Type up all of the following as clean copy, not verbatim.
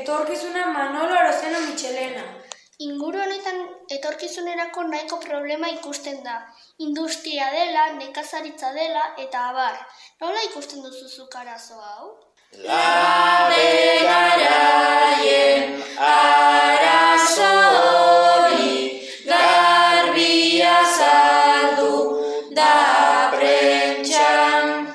etorkizuna Manolo Arozeno Michelena. Inguru honetan etorkizunerako nahiko problema ikusten da. Industria dela, nekazaritza dela eta abar. Nola ikusten duzu zuk arazo hau? Labe garaien arazo hori garbi azaldu da prentxan.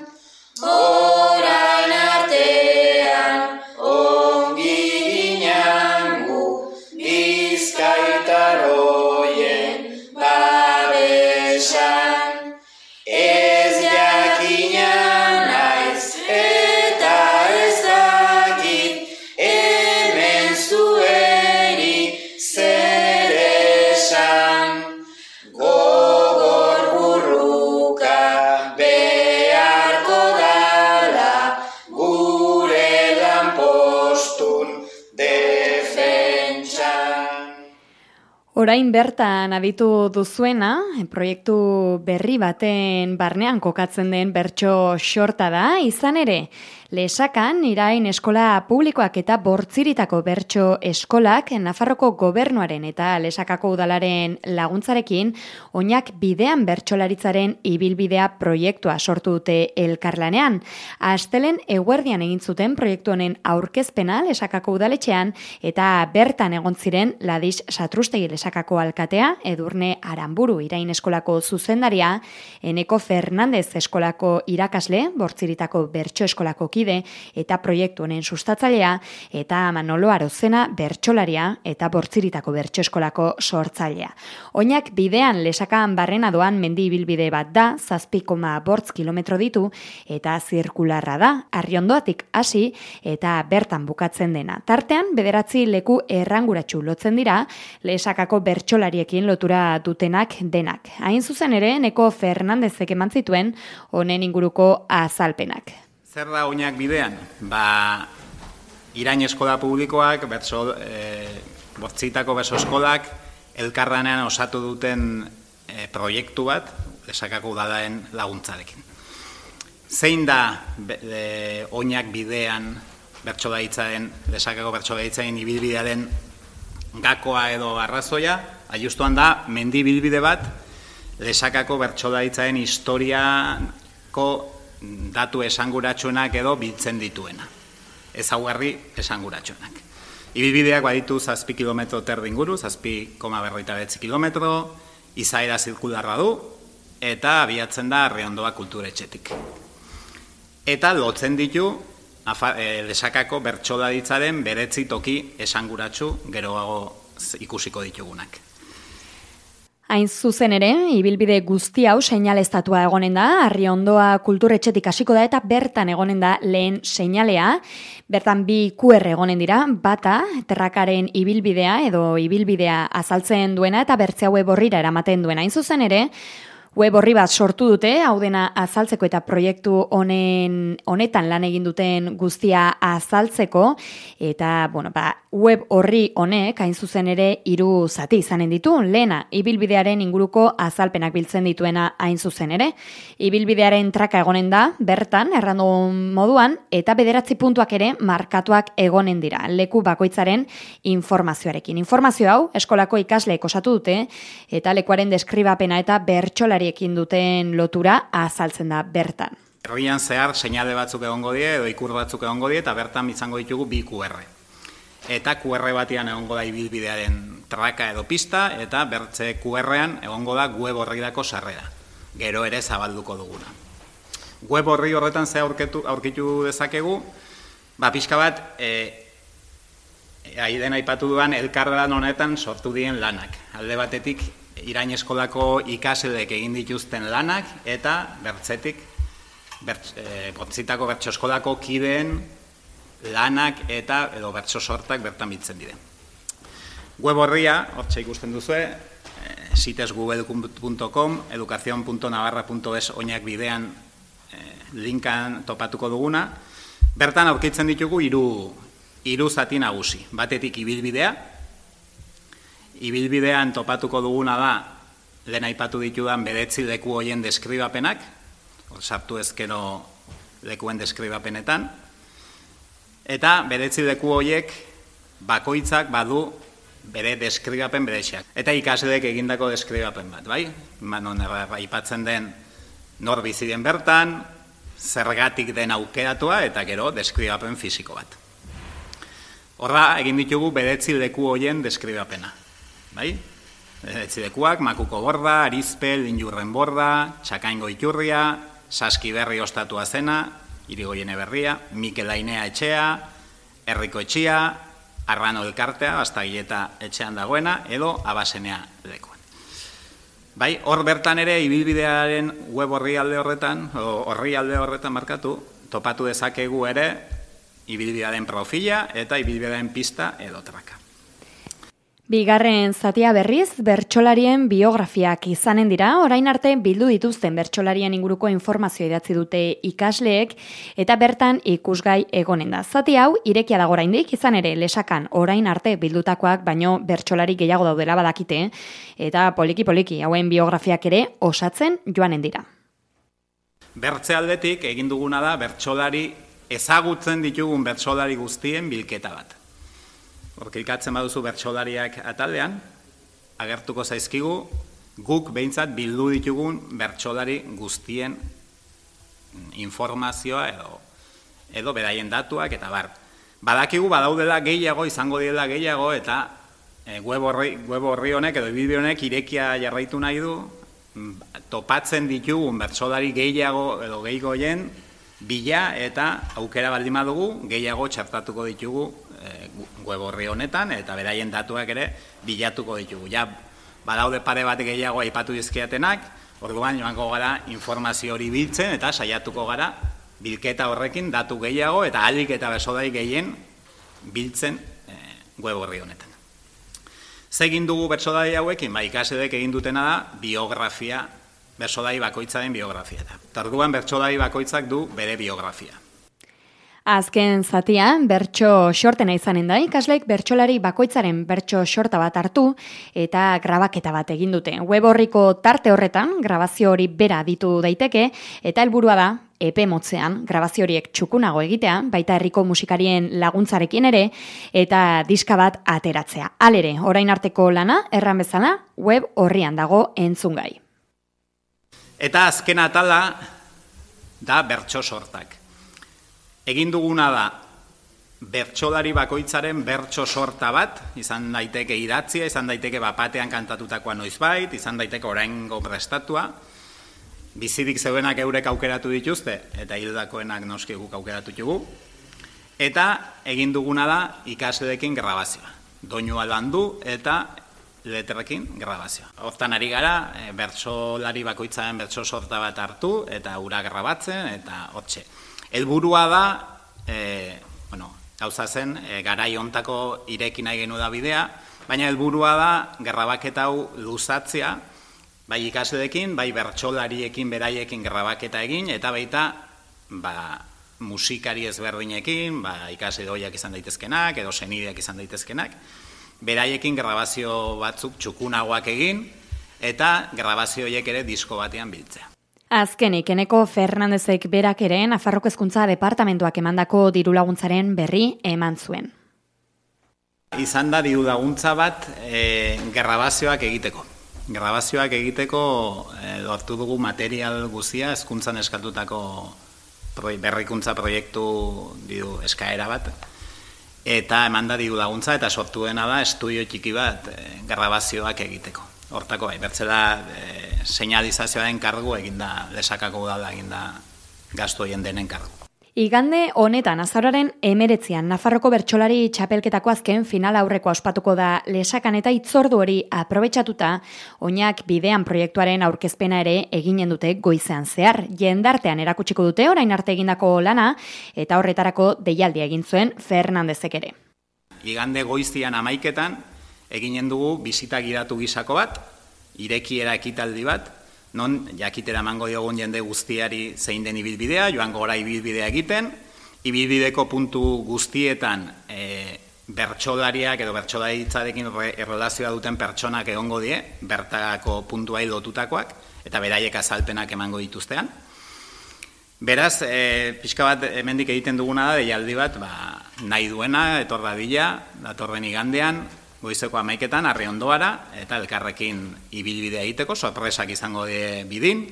Orain artean ongi ginen gu bizkaitarroien babesan. Ez jakina naiz eta ez dakit hemen zueri zer esan. Gogor burruka beharko dala gure lanpostun defentsan. Orain bertan aditu duzuena, proiektu berri baten barnean kokatzen den bertso xorta da, izan ere, Lesakan, Irain eskola publikoak eta Bortziritako bertso eskolak Nafarroko gobernuaren eta Lesakako udalaren laguntzarekin oinak bidean bertsolaritzaren ibilbidea proiektua sortu dute elkarlanean. Astelen eguerdian egin zuten proiektu honen aurkezpena Lesakako udaletxean eta bertan egon ziren Ladis Satrustegi Lesakako alkatea, Edurne Aranburu Irain eskolako zuzendaria, Eneko Fernandez eskolako irakasle, Bortziritako bertso eskolako eta proiektu honen sustatzailea, eta Manolo Arozena bertsolaria eta Bortziritako bertso eskolako sortzailea. Oinak bidean Lesakan barrena doan mendi ibilbide bat da, 7,8 kilometro ditu, eta zirkularra da, Arriondoatik hasi eta bertan bukatzen dena. Tartean, 9 leku erranguratsu lotzen dira, Lesakako bertsolariekin lotura dutenak denak. Hain zuzen ere, Eneko Fernandezek eman zituen honen inguruko azalpenak. Zer da oinak bidean? Irain eskola publikoak, Bortzitako bertso eskolak, elkarlanean osatu duten proiektu bat, Lesakako udalaren laguntzarekin. Zein da oinak bidean bertsolaritzaren, Lesakako bertsolaritzaren ibilbidearen gakoa edo arrazoia? Justuan da, mendi ibilbide bat, Lesakako bertsolaritzaren historiako datu esanguratsuenak edo biltzen dituena. Ezaugarri esanguratsuenak. Ibilbideak baditu 7 kilometro terdi inguru, 7,49 kilometro, izaera zirkularra du, eta abiatzen da Arriondoa kulturetxetik. Eta lotzen ditu Lesakako bertsolaritzaren beretzi toki esanguratsu geroago ikusiko ditugunak. Hain zuzen ere, ibilbide guzti hau seinaleztatua egonen da, Arriondoa kulturetxetik hasiko da eta bertan egonen da lehen seinalea. Bertan 2 QR egonen dira, bata terrakaren ibilbidea edo ibilbidea azaltzen duena eta bertzea web orrira eramaten duena. Hain zuzen ere, web orri bat sortu dute, hau dena azaltzeko eta proiektu honetan lan egin duten guztia azaltzeko, eta web orri honek hain zuzen ere 3 zati izanen ditu. Lehena, ibilbidearen inguruko azalpenak biltzen dituena hain zuzen ere. Ibilbidearen traka egonen da, bertan, errandu moduan, eta 9 puntuak ere markatuak egonen dira, leku bakoitzaren informazioarekin. Informazio hau, eskolako ikasleek osatu dute, eta lekuaren deskribapena eta bertsolariekin duten lotura azaltzen da bertan. Herrian zehar seinale batzuk egongo die edo ikur batzuk egongo die eta bertan izango ditugu 2 QR. Eta QR batean egongo da ibilbidearen traka edo pista eta bertze QR-ean egongo da web orrirako sarrera. Gero ere zabalduko duguna. Web orri horretan ze aurkitu dezakegu, pixka bat aiden aipatu duan elkarlan honetan sortu dien lanak. Alde batetik Irain eskolako ikasleek egin dituzten lanak eta bertzetik Bortzitako bertso eskolako kideen lanak eta edo bertso sortak bertan biltzen dire. Web orria, hortxe ikusten duzue, sitesgoogle.com, educacion.navarra.es oinak bidean linkan topatuko duguna. Bertan aurkitzen ditugu 3 zati nagusi. Batetik ibilbidea. Ibilbidean topatuko duguna da, lehen aipatu ditudan 9 leku hoien deskribapenak, sartu ezkero lekuen deskribapenetan, eta 9 leku horiek bakoitzak badu bere deskribapen bereziak. Eta ikasleek egindako deskribapen bat, bai? Non aipatzen den nor bizi den bertan, zergatik den aukeratua eta gero deskribapen fisiko bat. Horra egin ditugu 9 leku hoien deskribapena, bai? 9 lekuak, Makuko borda, Arizpel, Linjurren borda, Txakaingo iturria, Saskiberri ostatua zena, Irigoiene berria, Mikel Ainea etxea, Herriko etxea, Arrano elkartea, Bastagileta etxean dagoena, edo Abasenea lekuan. Bai, hor bertan ere, ibilbidearen web orrialde horretan markatu, topatu dezakegu ere, ibilbidearen profila eta ibilbidearen pista edo traka. Bigarren zatia berriz, bertsolarien biografiak izanen dira, orain arte bildu dituzten bertsolarien inguruko informazioa idatzi dute ikasleek, eta bertan ikusgai egonen da. Zati hau, irekia dago oraindik, izan ere lesakan orain arte bildutakoak, baino bertsolari gehiago daudela badakite, eta poliki-poliki hauen biografiak ere osatzen joanen dira. Bertze aldetik egin duguna da bertsolari ezagutzen ditugun bertsolari guztien bilketa bat. Horkilkatzen baduzu bertsolariak ataldean, agertuko zaizkigu, guk behintzat bildu ditugun bertsolari guztien informazioa edo beraien datuak eta bar. Badakigu badaudela gehiago, izango direla gehiago, eta web horri honek edo ibilbide honek irekia jarraitu nahi du, topatzen ditugun bertsolari gehiago edo gehiagoien bila eta aukera baldin badugu gehiago txartatuko ditugu web horri honetan eta beraien datuak ere bilatuko ditugu. Ja, badaude pare bat gehiago aipatu dizkiatenak, orduan joango gara informazio hori biltzen eta saiatuko gara bilketa horrekin datu gehiago eta ahalik eta bertsolari gehien biltzen web horri honetan. Zegin dugu bertsolari hauekin, ikasleek egin dutena da biografia, bertsolari bakoitzaren biografia. Orduan bertsolari bakoitzak du bere biografia. Azken zatia, bertso xortena izanen da, ikasleek bertsolari bakoitzaren bertso xorta bat hartu eta grabaketa bat egin dute. Web horriko tarte horretan, grabazio hori bera ditu daiteke, eta helburua da, epe motzean, grabazio horiek txukunago egitea, baita herriko musikarien laguntzarekin ere, eta diska bat ateratzea. Halere, orain arteko lana, erran bezala, web horrian dago entzungai. Eta azken atala da bertso sortak. Egin duguna da bertsolari bakoitzaren bertso sorta bat, izan daiteke idatzia, izan daiteke bapatean kantatutakoa noizbait, izan daiteke oraingo prestatua, bizirik zeuenak eurek aukeratu dituzte, eta hildakoenak noski guk aukeratu dugu, eta egin duguna da ikasleekin grabazioa. Doinua landu eta letrekin grabazioa. Hortan ari gara, bertsolari bakoitzaren bertso sorta bat hartu, eta ura grabatzen, eta hortxe. Helburua da, gauza zen, garai hontako ireki nahi genu da bidea, baina helburua da, grabaketa hau luzatzea, bai ikasleekin, bai bertsolariekin, beraiekin grabaketa egin, eta baita musikari ezberdinekin, ikasle doiak izan daitezkenak, edo senideak izan daitezkenak, beraiekin grabazio batzuk txukunagoak egin, eta grabazio horiek ere disko batean biltzea. Azkenik, Eneko Fernandezek berak ere Nafarroko Hezkuntza Departamentuak emandako dirulaguntzaren berri eman zuen. Izan da dirulaguntza bat grabazioak egiteko. Grabazioak egiteko lortu dugu material guztia hezkuntzan eskatutako berrikuntza proiektu eskaera bat. Eta eman da dirulaguntza eta sortu dena da estudio txiki bat grabazioak egiteko. Hortako bertzela seinalizazioaren kargu eginda, lesakako udala eginda gastu horien denen kargu. Igande honetan, azaroaren 19an, Nafarroko bertsolari txapelketako azken final aurreko ospatuko da lesakan eta hitzordu hori aprobetxatuta, oinak bidean proiektuaren aurkezpena ere eginen dute goizean zehar. Jendartean erakutsiko dute orain arte egindako lana eta horretarako deialdia egin zuen Fernandezek ere. Igande goizian 11etan, eginen dugu bisita gidatu gisako bat, irekiera ekitaldi bat, non jakitera emango diogun jende guztiari zein den ibilbidea, joango gara ibilbidea egiten, ibilbideko puntu guztietan bertsolariak edo bertsolaritzarekin erlazioa duten pertsonak egongo die, bertako puntuai lotutakoak, eta beraiek azalpenak emango dituztean. Beraz, pixka bat hemendik egiten duguna da, deialdi bat, nahi duena, etor dadila, datorren igandean, goizeko 11etan, Arriondoara, eta elkarrekin ibilbidea egiteko, sorpresak izango die bidin.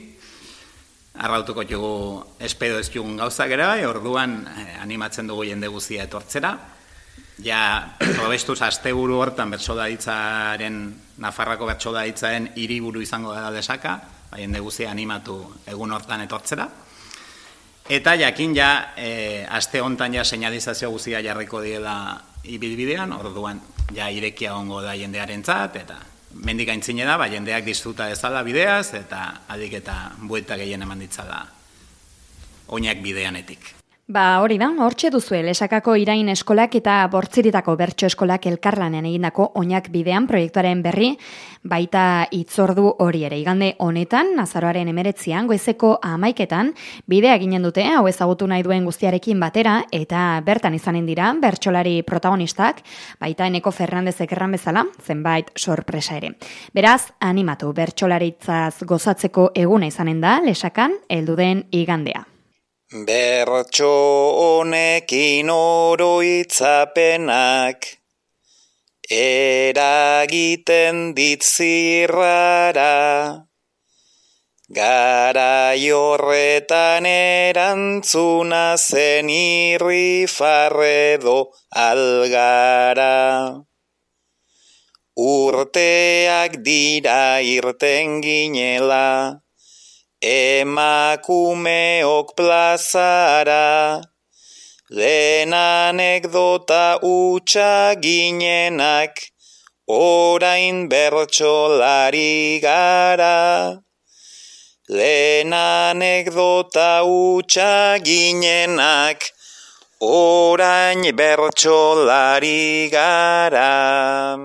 Arrautuko jugu espedo ez jugun gauzak ere bai, orduan animatzen dugu jende guztia etortzera. Ja, probestuz asteburu hortan Nafarrako bertsolaritzaren hiriburu izango da Lesaka, jende guztia animatu egun hortan etortzera. Eta jakin aste hontan seinalizazio guztia jarriko diela ibilbidean, orduan irekia ongo da jendearentzat, eta mendik aintzine da, jendeak disfruta dezala bideaz, eta adik eta buelta gehien eman ditzala oinak bideanetik. Hori da, hortxe duzue, Lesakako Irain eskolak eta Bortziritako bertso eskolak elkarlanean egindako oinak bidean proiektuaren berri, baita hitzordu hori ere. Igande honetan, azaroaren 19an, goizeko 11etan, bidea ginen dute, hau ezagutu nahi duen guztiarekin batera, eta bertan izanen dira, bertsolari protagonistak, baita Eneko Fernandezek erran bezala, zenbait sorpresa ere. Beraz, animatu, bertsolaritzaz gozatzeko eguna izanen da, Lesakan, heldu den igandea. Bertso honekin oroitzapenak eragiten dit zirrara, garai horretan erantzuna zen irrifarredo algara. Urteak dira irten ginela, emakumeok plazara, lehen anekdota utxa ginenak, orain bertsolari gara. Lehen anekdota utxa ginenak, orain bertsolari gara.